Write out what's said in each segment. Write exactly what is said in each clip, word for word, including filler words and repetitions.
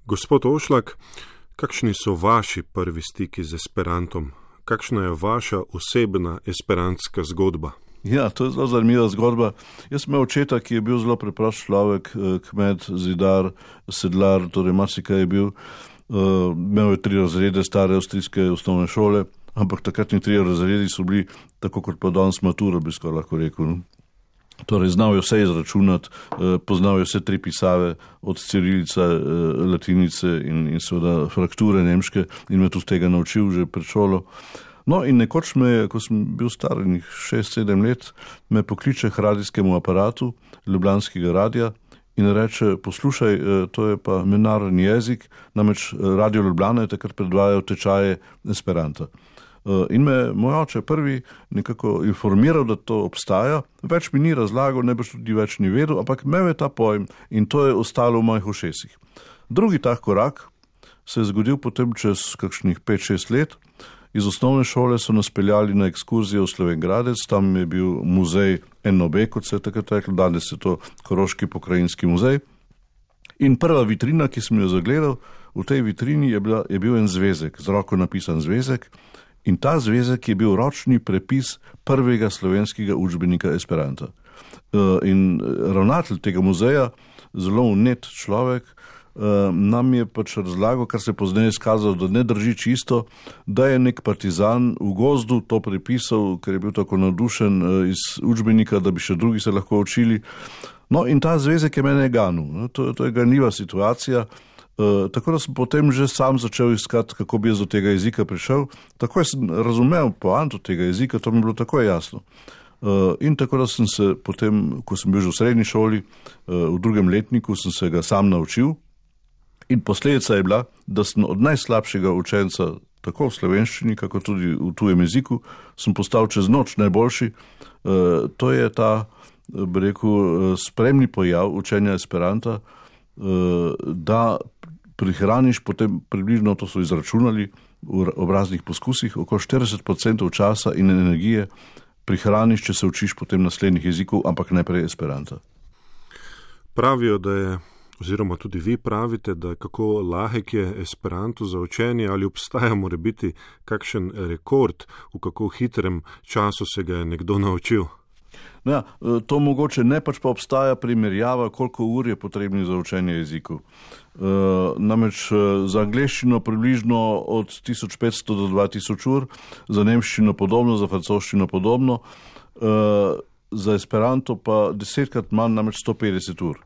Gospod Ošlak, kakšni so vaši prvi stiki z esperantom? Kakšna je vaša osebna esperantska zgodba? Ja, to je zelo zanimiva zgodba. Jaz sem imel očeta, ki je bil zelo preprost človek, kmet, zidar, sedlar, torej marsikaj je bil. Uh, imel je tri razrede stare avstrijske osnovne šole, ampak takratni tri razredi so bili tako kot pa danes matura, bi skoraj lahko rekel. No? Torej, znal je vse izračunati, uh, poznal je vse tri pisave, od cirilice, uh, latinice in, in seveda frakture nemške in me tudi tega naučil že pred šolo. No in nekoč me, ko sem bil star šest sedem let, me pokliče k radijskemu aparatu Ljubljanskega radija in reče, poslušaj, to je pa mednarodni jezik, namreč Radio Ljubljana je takrat predvajal tečaje esperanta. In me moj oče prvi nekako informiral, da to obstaja, več mi ni razlagal, ne boš tudi več ni vedel, ampak imel je ta pojem in to je ostalo v mojih ušesih. Drugi tak korak se je zgodil potem čez kakšnih pet šest let. Iz osnovne šole so nas peljali na ekskurzijo v Slovenj Gradec, tam je bil muzej N O B, kot se je takrat reklo, danes je to Koroški pokrajinski muzej. In prva vitrina, ki sem jo zagledal, v tej vitrini je, bila, je bil en zvezek, z roko napisan zvezek, in ta zvezek je bil ročni prepis prvega slovenskega učbenika esperanta. In ravnatelj tega muzeja, zelo unet človek, nam je pač razlagal, kar se pozneje izkazalo, da ne drži čisto, da je nek partizan v gozdu to prepisal, ker je bil tako navdušen iz učbenika, da bi še drugi se lahko učili. No in ta zvezek je mene ganil. To, to je ganljiva situacija. Uh, tako da sem potem že sam začel iskati, kako bi jaz do tega jezika prišel. Tako sem razumel poanto tega jezika, to mi je bilo tako jasno. Uh, in tako da sem se potem, ko sem bil že v srednji šoli, uh, v drugem letniku, sem se ga sam naučil. In posledica je bila, da sem od najslabšega učenca, tako v slovenščini, kako tudi v tujem jeziku, sem postal čez noč najboljši. Uh, to je ta, bi rekel, spremni pojav učenja esperanta, uh, da prihraniš potem približno, to so izračunali v obraznih poskusih, okoli štirideset procentov časa in energije prihraniš, če se učiš potem naslednjih jezikov, ampak najprej esperanta. Pravijo, da je oziroma tudi vi pravite, da kako lahek je esperanto za učenje, ali obstaja mora biti kakšen rekord, v kako hitrem času se ga je nekdo naučil? Ja, to mogoče ne, pač pa obstaja primerjava, koliko ur je potrebnih za učenje jezikov. E, namreč za angleščino približno od tisoč petsto do dva tisoč ur, za nemščino podobno, za francoščino podobno, e, za esperanto pa desetkrat manj, namreč sto petdeset ur.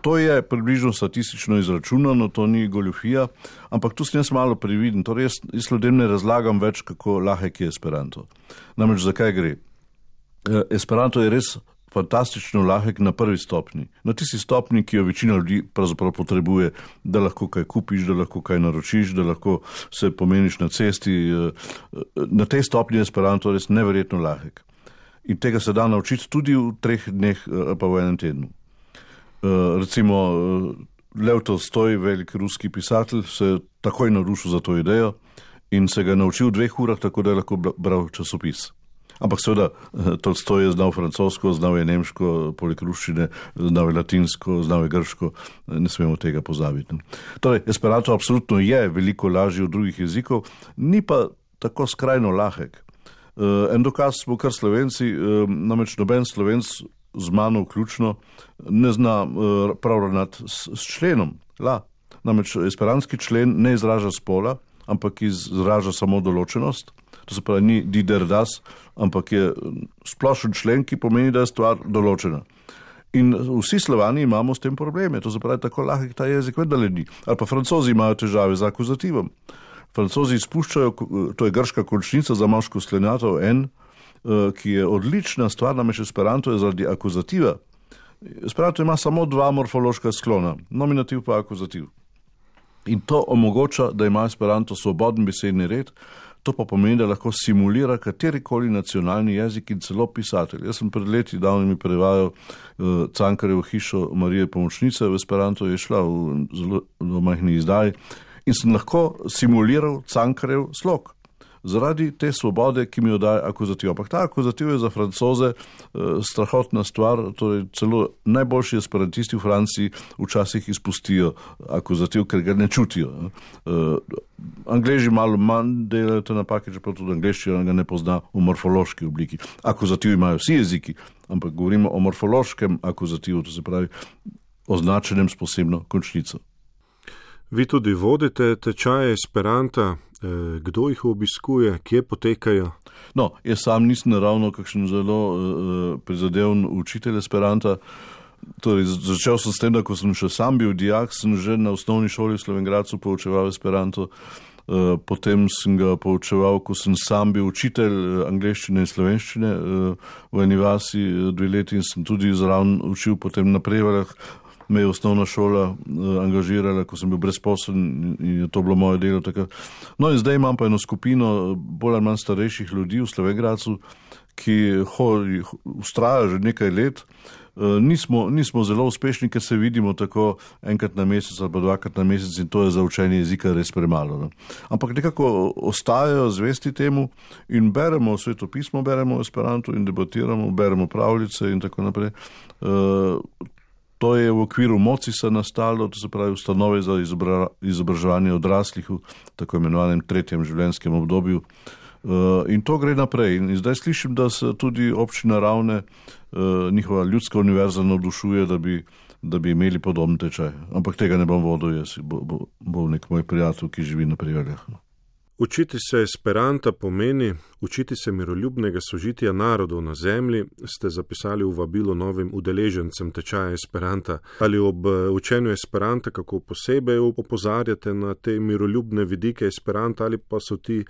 To je približno statistično izračunano, to ni goljufija, ampak tu sem jaz malo previden, torej jaz, jaz ljudem ne razlagam več, kako lahek je esperanto. Namreč zakaj gre? Esperanto je res fantastično lahek na prvi stopni. Na tisti stopni, ki jo večina ljudi pravzaprav potrebuje, da lahko kaj kupiš, da lahko kaj naročiš, da lahko se pomeniš na cesti. Na tej stopni je esperanto res neverjetno lahek. In tega se da naučiti tudi v treh dneh pa v enem tednu. Uh, recimo uh, Lev Tolstoj, velik ruski pisatelj, se je takoj navdušil za to idejo in se ga naučil v dveh urah, tako da je lahko bral časopis. Ampak seveda, uh, Tolstoj je znal francosko, znal je nemško, poleg ruščine, znal je latinsko, znal je grško, ne smemo tega pozabiti. Torej, esperanto absolutno je veliko lažje od drugih jezikov, ni pa tako skrajno lahek. Uh, en dokaz smo kar Slovenci, uh, namreč noben Slovenc z mano vključno, ne zna uh, prav ravnati s, s členom. La. Namreč esperantski člen ne izraža spola, ampak izraža samo določenost. To se pravi, ni dider das, ampak je splošen člen, ki pomeni, da je stvar določena. In vsi Slovani imamo s tem probleme. To se pravi, tako lahek ta jezik vendar ni. Ali pa Francozi imajo težave z akuzativom. Francozi izpuščajo, to je grška končnica za moško sklenjatov en, ki je odlična stvar, namreč esperanto je zaradi akuzativa. Esperanto ima samo dva morfološka sklona, nominativ pa akuzativ. In to omogoča, da ima esperanto svoboden besedni red, to pa pomeni, da lahko simulira katerikoli nacionalni jezik in celo pisatelj. Jaz sem pred leti davnimi prevajal uh, Cankarjevo hišo Marije Pomočnice, v esperanto je šla v zelo majhni izdaji in sem lahko simuliral Cankarjev slog. zaradi te svobode, ki mi jo daje akuzativ. Ampak ta akuzativ je za Francoze eh, strahotna stvar, torej celo najboljši esperantisti v Franciji včasih izpustijo akuzativ, ker ga ne čutijo. Eh, Angleži malo manj delajo te napake, čeprav tudi angleščina ga ne pozna v morfološki obliki. Akuzativ imajo vsi jeziki, ampak govorimo o morfološkem akuzativu, to se pravi označenem s posebno končnico. Vi tudi vodite tečaje esperanta, kdo jih obiskuje, kje potekajo? No, jaz sam nisem naravno kakšen zelo uh, prizadeven učitelj esperanta. Torej, začel sem s tem, da ko sem še sam bil dijak, sem že na osnovni šoli v Slovenj Gradcu poučeval esperanto. Uh, potem sem ga poučeval, ko sem sam bil učitelj angleščine in slovenščine uh, v eni vasi dve leti in sem tudi zraven učil potem na Prevaljah. Me je osnovna šola uh, angažirala, ko sem bil brezposeln in je to bilo moje delo takrat. No in zdaj imam pa eno skupino bolj ali manj starejših ljudi v Slovenj Gradcu, ki vztraja že nekaj let. Uh, nismo, nismo zelo uspešni, ker se vidimo tako enkrat na mesec ali pa dvakrat na mesec in to je za učenje jezika res premalo. Ne? Ampak nekako ostajajo zvesti temu in beremo svetopismo, beremo esperanto in debatiramo, beremo pravljice in tako naprej. Uh, To je v okviru Mocisa nastalo, to se pravi ustanove za izobra, izobraževanje odraslih v tako imenovanem tretjem življenjskem obdobju. Uh, in to gre naprej. In zdaj slišim, da se tudi občina Ravne, uh, njihova ljudska univerza navdušuje, da bi, da bi imeli podoben tečaj. Ampak tega ne bom vodil jaz, bo, bo, bo nek moj prijatelj, ki živi na Prevaljah. Učiti se esperanta pomeni učiti se miroljubnega sožitja narodov na zemlji, ste zapisali v vabilu novim udeležencem tečaja esperanta. Ali ob učenju esperanta kako posebej opozarjate na te miroljubne vidike esperanta ali pa so ti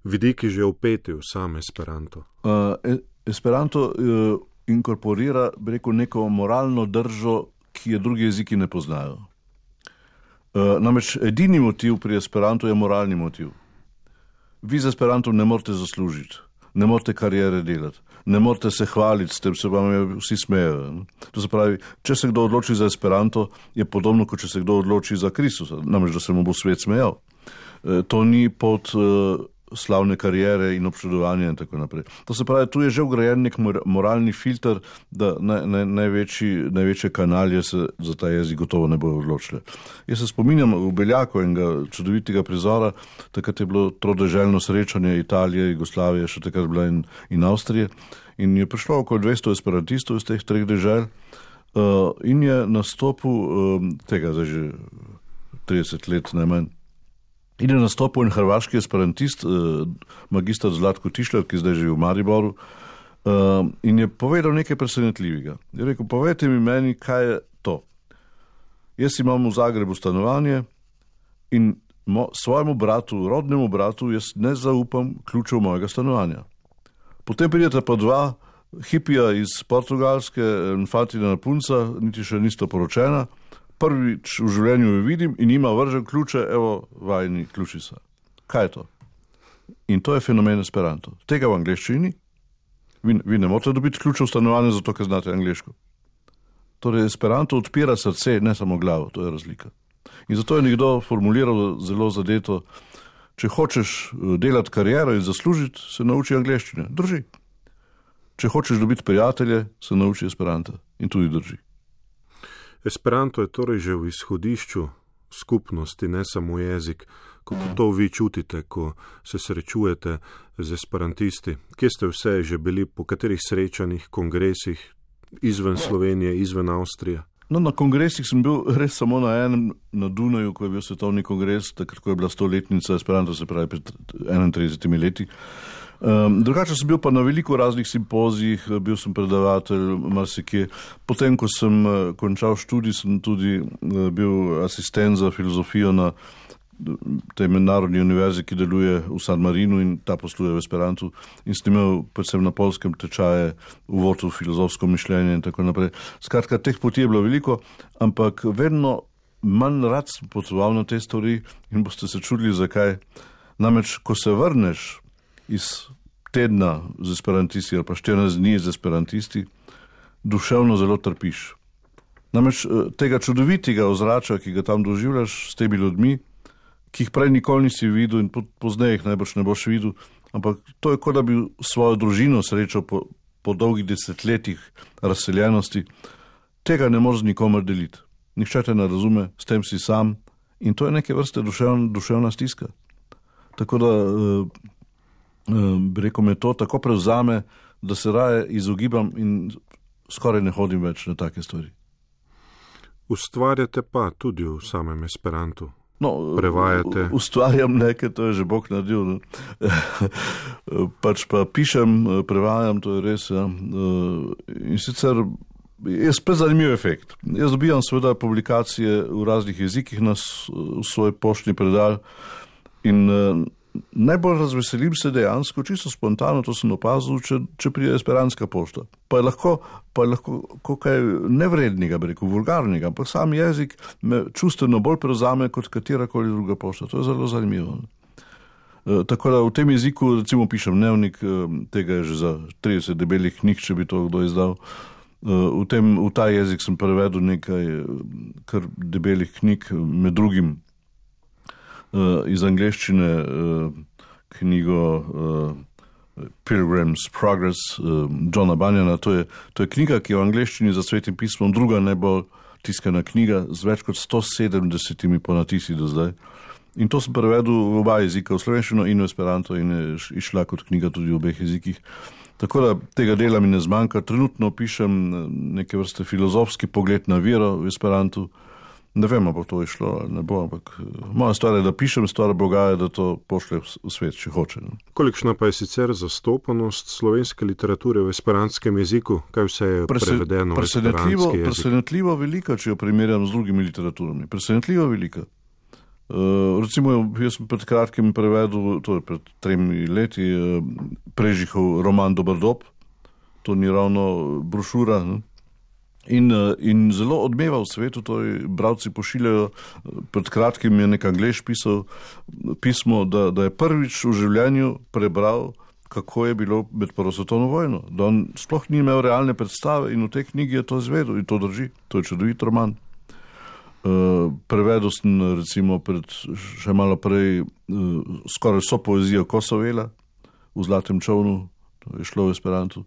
vidiki že vpeti v sam esperanto? Uh, esperanto uh, inkorporira, bi rekel, neko moralno držo, ki je drugi jeziki ne poznajo. Uh, namreč edini motiv pri esperantu je moralni motiv. Vi z esperantom ne morete zaslužiti, ne morete karijere delati, ne morete se hvaliti s tem, se vam vsi smejejo. To se pravi, če se kdo odloči za esperanto, je podobno, kot če se kdo odloči za Kristusa, namreč da se mu bo svet smejal. E, to ni pod uh, slavne karijere in občudovanja in tako naprej. To se pravi, tu je že vgrajen nek moralni filter, da naj, naj, največji, največje kanalje se za ta jezik gotovo ne bojo odločile. Jaz se spominjam v Beljaku enega čudovitega prizora, takrat je bilo trodeželno srečanje Italije, Jugoslavije, še takrat bila in, in Avstrije, in je prišlo okoli dvesto esperantistov iz teh treh dežel uh, in je nastopil uh, tega zdaj že trideset let najmanj. In je nastopil en hrvaški esperantist, eh, magister Zlatko Tišler, ki zdaj živi v Mariboru, eh, in je povedal nekaj presenetljivega. Je rekel, povejte mi meni, kaj je to. Jaz imam v Zagrebu stanovanje in mo, svojemu bratu, rodnemu bratu, jaz ne zaupam ključev mojega stanovanja. Potem pridete pa dva hipija iz Portugalske, Fatina punca, niti še nista poročena, prvič v življenju jo vidim in ima vržen ključe, evo, vajni ključi so. Kaj je to? In to je fenomen esperanto. Tega v angleščini vi, vi ne morate dobiti ključe v stanovanje, zato ker znate angleško. Torej, esperanto odpira srce, ne samo glavo, to je razlika. In zato je nekdo formuliral zelo zadeto, če hočeš delati kariero in zaslužiti, se nauči angleščine. Drži. Če hočeš dobiti prijatelje, se nauči esperanta. In tudi drži. Esperanto je torej že v izhodišču skupnosti, ne samo jezik. Kako to vi čutite, ko se srečujete z esperantisti? Kje ste vse že bili, po katerih srečanjih, kongresih, izven Slovenije, izven Avstrije? No, na kongresih sem bil res samo na enem, na Dunaju, ko je bil svetovni kongres, takrat, ko je bila stoletnica esperanto, se pravi pred enaintridesetimi leti. Um, drugače sem bil pa na veliko raznih simpozijih, bil sem predavatelj marsikje. Potem, ko sem uh, končal študij, sem tudi uh, bil asistent za filozofijo na tej mednarodni univerzi, ki deluje v San Marinu in ta posluje v esperantu. In sem imel predvsem na Poljskem tečaje uvod v filozofsko mišljenje in tako naprej. Skratka, teh poti je bilo veliko, ampak vedno manj rad sem potoval na te stvari in boste se čudili, zakaj. Namreč, ko se vrneš iz tedna z esperantisti ali pa štirinajst dni z esperantisti, duševno zelo trpiš. Namreč tega čudovitega ozračja, ki ga tam doživljaš s temi ljudmi, ki jih prej nikoli nisi videl in pozneje jih najbrž ne boš videl, ampak to je, kot da bi svojo družino srečal po, po dolgih desetletjih razseljenosti. Tega ne moreš nikomer deliti. Nihče te ne razume, s tem si sam in to je neke vrste duševna, duševna stiska. Tako da uh, uh, bi rekel, me to tako prevzame, da se raje izogibam in skoraj ne hodim več na take stvari. Ustvarjate pa tudi v samem esperantu. No, prevajate. Ustvarjam nekaj, to je že Bog naredil. Ne? Pač pa pišem, prevajam, to je res. Ja. In sicer je spet zanimiv efekt. Jaz dobijam seveda publikacije v raznih jezikih na svoj poštni predal in najbolj razveselim se dejansko, čisto spontano, to sem opazil, če, če prije esperantska pošta. Pa je lahko, pa je lahko kaj nevrednega, bi rekel, vulgarnega, ampak sam jezik me čustveno bolj prevzame kot katerakoli druga pošta. To je zelo zanimivo. E, tako da v tem jeziku, recimo, pišem dnevnik, tega je že za trideset debelih knjig, če bi to kdo izdal. E, v, tem, v ta jezik sem prevedel nekaj kar debelih knjig, med drugim iz angleščine knjigo Pilgrim's Progress Johna Bunyana. To je, to je knjiga, ki je v angleščini za Svetim pismom druga najbolj tiskana knjiga z več kot sto sedemdesetimi ponatisi do zdaj. In to sem prevedel v oba jezika, v slovenščino in v esperanto in je išla kot knjiga tudi v obeh jezikih. Tako da tega dela mi ne zmanjka. Trenutno pišem neke vrste filozofski pogled na vero v esperantu. Ne vem, bo to išlo, ne bo, ampak moja stvar je, da pišem, stvar Boga je, da to pošlje v svet, če hoče. Ne. Kolikšna pa je sicer zastopanost slovenske literature v esperantskem jeziku? Kaj vse je Prese, prevedeno v esperantski jezik? Presenetljivo velika, če jo primerjam z drugimi literaturami. Presenetljivo velika. Uh, recimo, jaz sem pred kratkim prevedel, to je pred tremi leti, uh, Prežihov roman Dober dob. To ni ravno brošura, ne. In, in zelo odmeva v svetu, to je, bralci pošiljajo, pred kratkim je nek Anglež pisal pismo, da, da je prvič v življenju prebral, kako je bilo med prvo svetovno vojno. Da on sploh ni imel realne predstave in v tej knjigi je to izvedel in to drži. To je čudovit roman. Uh, prevedel sem recimo pred, še malo prej uh, skoraj vso poezijo Kosovela v Zlatem čovnu, to je šlo v esperantu.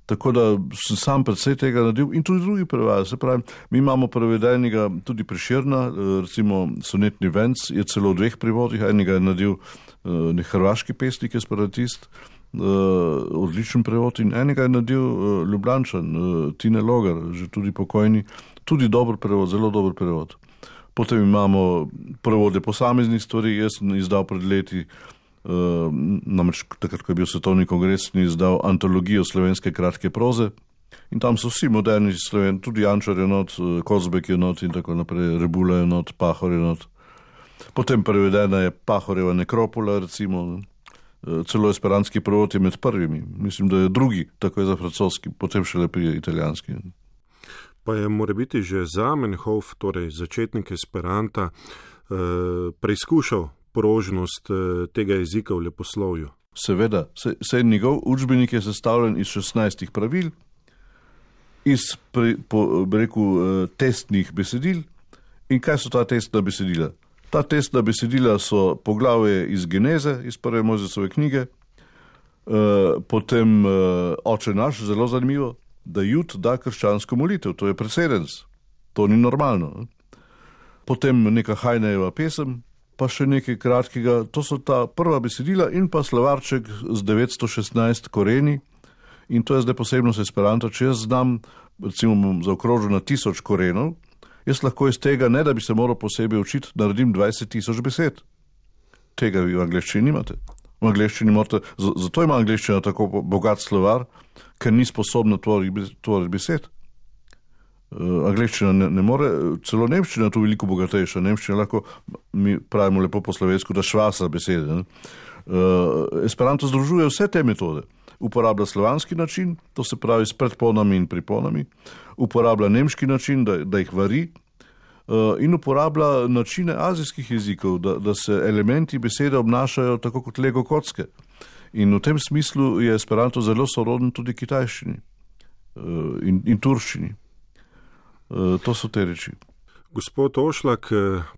Tako da sem sam predvsej tega naredil in tudi drugi prevajajo. Se pravi, mi imamo prevedenega tudi Prešerna, recimo sonetni venc je celo v dveh prevodih, enega je naredil nek hrvaški pesnik, esperantist, odličen prevod in enega je naredil Ljubljančan, Tine Logar, že tudi pokojni, tudi dober prevod, zelo dober prevod. Potem imamo prevode posameznih stvari, jaz sem izdal pred leti, Uh, namreč takrat, ko je bil svetovni kongres, ni izdal antologijo slovenske kratke proze in tam so vsi moderni sloven, tudi Jančar je not, Kozbek je not in tako naprej, Rebula je not, Pahor je not. Potem prevedena je Pahorjeva nekropola, recimo, uh, celo esperantski prevod je med prvimi, mislim, da je drugi, tako je za francoski, potem šele prije italijanski. Pa je morebiti že Zamenhof, torej začetnik esperanta, uh, preizkušal porožnost tega jezika v leposlovju. Seveda, se, se njegov učbenik je sestavljen iz šestnajstih pravil, iz pre, po, reku, testnih besedil. In kaj so ta testna besedila? Ta testna besedila so poglavje iz Geneze, iz prve Mojzesove knjige, potem Oče naš, zelo zanimivo, da Jud da krščansko molitev, to je presedens, to ni normalno. Potem neka Hajnejeva pesem, pa še nekaj kratkega, to so ta prva besedila in pa slovarček z devetsto šestnajst koreni in to je zdaj posebnost esperanta, če jaz znam, recimo bom zaokrožil na tisoč korenov, jaz lahko iz tega, ne da bi se moral posebej učiti, naredim dvajset tisoč besed. Tega vi v angleščini nimate. V angleščini morate, zato ima angleščina tako bogat slovar, ker ni sposobna tvoriti besed. Uh, angleščina ne, ne more, celo nemščina je tu veliko bogatejša. Nemščina lahko, mi pravimo lepo po slovensko, da švasa besede. Uh, Esperanto združuje vse te metode. Uporablja slovanski način, to se pravi s predponami in priponami, uporablja nemški način, da, da jih vari, uh, in uporablja načine azijskih jezikov, da, da se elementi besede obnašajo tako kot lego kocke. In v tem smislu je Esperanto zelo soroden tudi kitajščini uh, in, in turščini. To so te reči. Gospod Ošlak,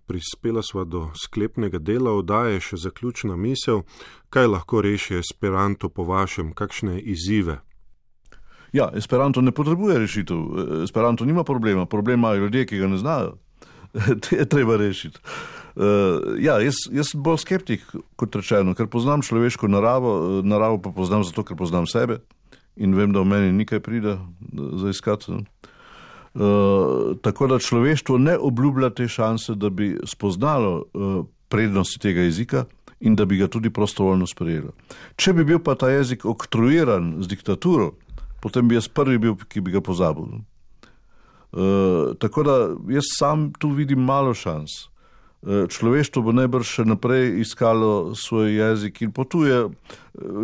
prispela sva do sklepnega dela oddaje, še zaključna misel. Kaj lahko reši Esperanto po vašem, kakšne izzive? Ja, Esperanto ne potrebuje rešitev. Esperanto nima problema. Problem imajo ljudje, ki ga ne znajo. Te je treba rešiti. Uh, ja, jaz, jaz sem bolj skeptik, kot rečeno, ker poznam človeško naravo, naravo pa poznam zato, ker poznam sebe in vem, da v meni nikaj pride za iskati. Uh, tako da človeštvo ne obljublja te šanse, da bi spoznalo uh, prednosti tega jezika in da bi ga tudi prostovoljno sprejelo. Če bi bil pa ta jezik oktroiran z diktaturo, potem bi jaz prvi bil, ki bi ga pozabil. Uh, tako da jaz sam tu vidim malo šans. Uh, človeštvo bo najbrž še naprej iskalo svoj jezik in potuje.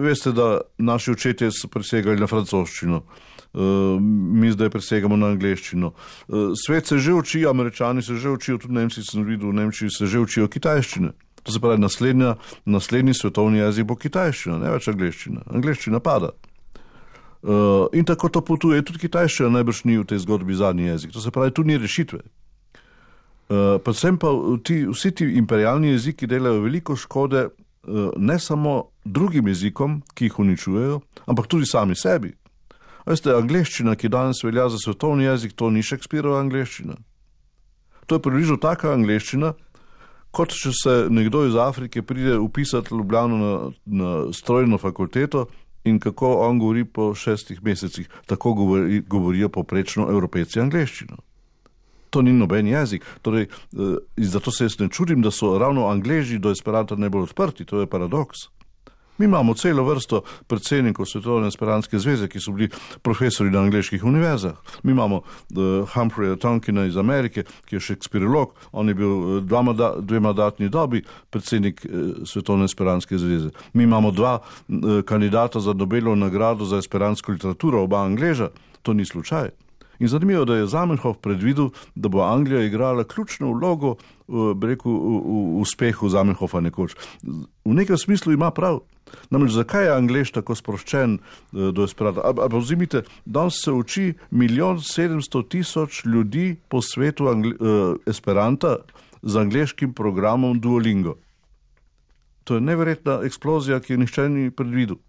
Veste, da naši očetje so presegali na francoščino, uh, mi zdaj presegamo na angleščino. Uh, svet se že uči, Američani se že učijo, tudi Nemci sem videl, v Nemčiji se že učijo kitajščine. To se pravi, naslednja, naslednji svetovni jezik bo kitajščina, ne več angleščina. Angleščina pada. Uh, in tako to potuje, tudi kitajščina najbrž ni v tej zgodbi zadnji jezik, to se pravi, tu ni rešitve. Uh, predvsem pa ti, vsi ti imperialni jeziki delajo veliko škode uh, ne samo drugim jezikom, ki jih uničujejo, ampak tudi sami sebi. Veste, angleščina, ki danes velja za svetovni jezik, to ni Shakespearova angleščina. To je približno taka angleščina, kot če se nekdo iz Afrike pride upisati v Ljubljano na, na strojno fakulteto in kako on govori po šestih mesecih. Tako govori, govorijo poprečno Evropejci angleščino. To ni noben jezik. Torej, eh, zato se jaz ne čudim, da so ravno Angleži do Esperanta najbolj odprti. To je paradoks. Mi imamo celo vrsto predsednikov Svetovne esperantske zveze, ki so bili profesori na angleških univerzah. Mi imamo uh, Humphreya Tonkina iz Amerike, ki je šekspirolog. On je bil uh, dva mada, dve mandatni dobi predsednik uh, Svetovne esperantske zveze. Mi imamo dva uh, kandidata za Nobelovo nagrado za esperantsko literaturo, oba Angleža. To ni slučaj. In zanimivo, da je Zamenhof predvidel, da bo Anglija igrala ključno vlogo uh, rekel, v, v uspehu Zamenhofa nekoč. V nekem smislu ima prav. Namreč, zakaj je Anglež tako sproščen uh, do Esperanta? Ampak vzimite, danes se uči milijon sedemsto tisoč ljudi po svetu Angli- uh, Esperanta z angleškim programom Duolingo. To je neverjetna eksplozija, ki je nihče ni predvidel.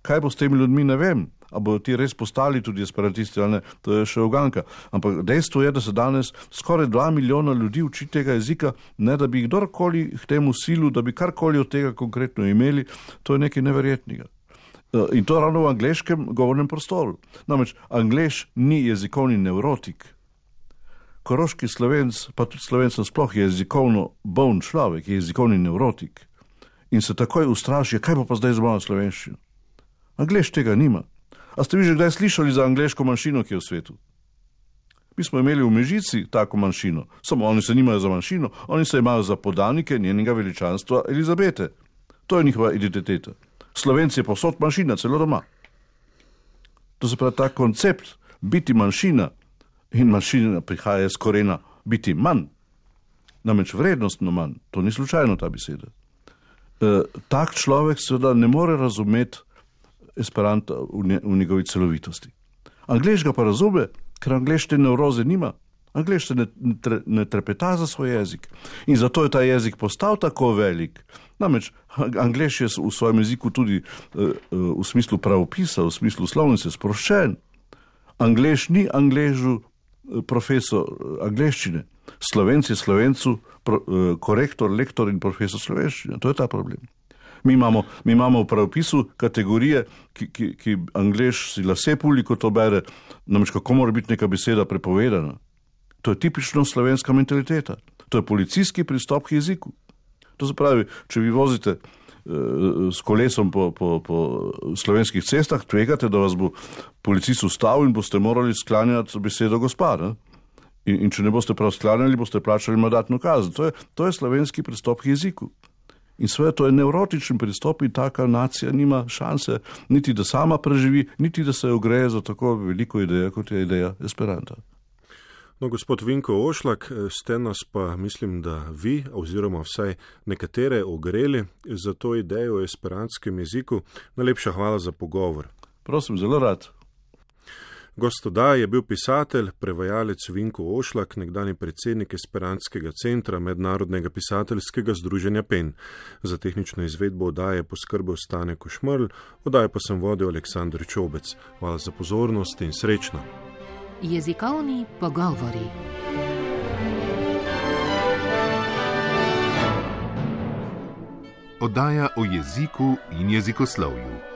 Kaj bo s temi ljudmi, ne vem. A bodo ti res postali tudi esperantisti ali ne, to je še uganka. Ampak dejstvo je, da se danes skoraj dva milijona ljudi uči tega jezika, ne da bi kdorkoli k temu silu, da bi karkoli od tega konkretno imeli, to je nekaj neverjetnega. In to ravno v angleškem govornem prostoru. Namreč Anglež ni jezikovni nevrotik. Koroški Slovenc, pa tudi Slovenc sploh je jezikovno boln človek, je jezikovni nevrotik. In se takoj ustraši, kaj bo pa zdaj z mojo slovenščino? Anglež tega nima. A ste vi že kdaj slišali za angleško manjšino, ki je v svetu? Mi smo imeli v Mežici tako manjšino, samo oni se nimajo za manjšino, oni se imajo za podanike njenega veličanstva Elizabete. To je njihova identiteta. Slovenci je posod manjšina, celo doma. To se pravi, ta koncept biti manjšina in manjšina prihaja iz korena biti manj, namreč vrednostno manj, to ni slučajno ta beseda. E, tak človek seveda ne more razumeti Esperanta v, nje, v njegovi celovitosti. Anglež ga pa razume, ker Anglež te nevroze nima. Anglež se ne, ne, ne trepeta za svoj jezik. In zato je ta jezik postal tako velik. Namreč Anglež je v svojem jeziku tudi uh, uh, v smislu pravopisa, v smislu slovnice sproščen. Anglež ni Angležu uh, profesor uh, angleščine. Slovenc je Slovencu pro, uh, korektor, lektor in profesor slovenščine. To je ta problem. Mi imamo, mi imamo v pravopisu kategorije, ki, ki, ki Anglež si lase puli, ko to bere, namreč kako mora biti neka beseda prepovedana. To je tipično slovenska mentaliteta. To je policijski pristop k jeziku. To se pravi, če vi vozite uh, s kolesom po, po, po slovenskih cestah, tvegate, da vas bo policist ustavil in boste morali sklanjati besedo gospa. Ne? In, in če ne boste prav sklanjali, boste plačali mandatno kazen. To je, to je slovenski pristop k jeziku. In sve to je nevrotičen pristop in taka nacija nima šanse niti da sama preživi, niti da se ogreje za tako veliko idejo, kot je ideja Esperanta. No, gospod Vinko Ošlak, ste nas pa, mislim, da vi, oziroma vsaj nekatere ogreli za to idejo o esperantskem jeziku. Najlepša hvala za pogovor. Prosim, zelo rad. Gost oddaje je bil pisatelj, prevajalec Vinko Ošlak, nekdanji predsednik Esperantskega centra Mednarodnega pisateljskega združenja Pen. Za tehnično izvedbo oddaje je poskrbel Stane Košmerl, oddajo pa sem vodil Aleksandr Čobec. Hvala za pozornost in srečno. Jezikovni pogovori. Oddaja o jeziku in jezikoslovju.